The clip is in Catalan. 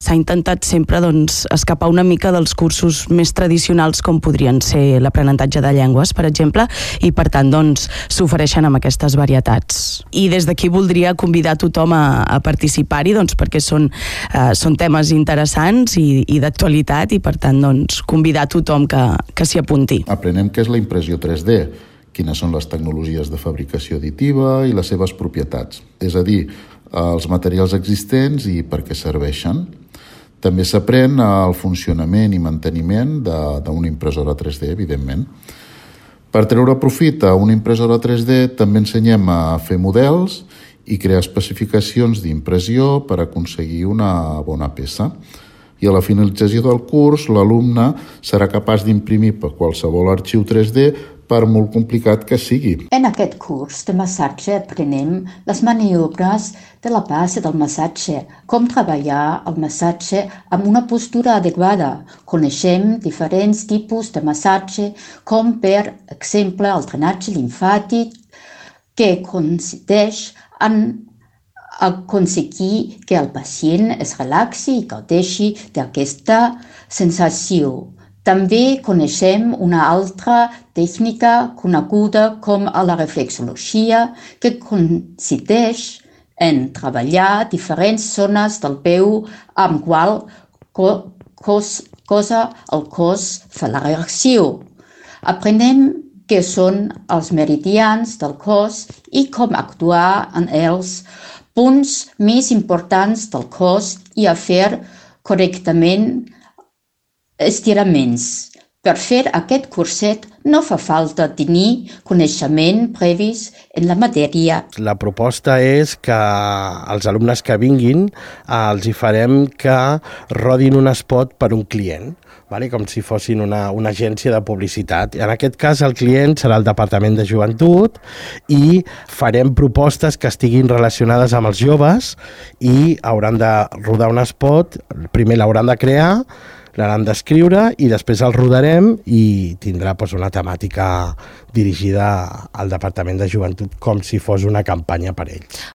s'ha intentat sempre escapar una mica dels cursos més tradicionals com podrien ser l'aprenentatge de llengües, per exemple, i per tant s'ofereixen amb aquestes varietats. I des d'aquí voldria convidar tothom a participar-hi perquè són temes interessants i d'actualitat i per tant convidar tothom que s'hi apunti. Aprenem què és la impressió 3D, quines són les tecnologies de fabricació additiva i les seves propietats, és a dir, els materials existents i per què serveixen. També s'aprèn el funcionament i manteniment d'una impressora 3D, evidentment. Per treure profit a una impressora 3D també ensenyem a fer models i crear especificacions d'impressió per aconseguir una bona peça. I a la finalització del curs, l'alumne serà capaç d'imprimir per qualsevol arxiu 3D per molt complicat que sigui. En aquest curs de massatge aprenem les maniobres de la base del massatge, com treballar el massatge amb una postura adequada. Coneixem diferents tipus de massatge, com per exemple el drenatge limfàtic, que consisteix en aconseguir que el pacient es relaxi i gaudeixi d'aquesta sensació. També coneixem una altra tècnica coneguda com la reflexologia, que consisteix en treballar diferents zones del peu amb qual cosa el cos fa la reacció. Aprenem què són els meridians del cos i com actuar en els punts més importants del cos i a fer correctament estiraments. Per fer aquest curset no fa falta tenir coneixement previs en la matèria. La proposta és que els alumnes que vinguin els hi farem que rodin un spot per un client, com si fossin una agència de publicitat. En aquest cas el client serà el Departament de Joventut i farem propostes que estiguin relacionades amb els joves i hauran de rodar un spot, primer l'hauran de crear, l'hauran d'escriure i després el rodarem i tindrà una temàtica dirigida al Departament de Joventut com si fos una campanya per ells.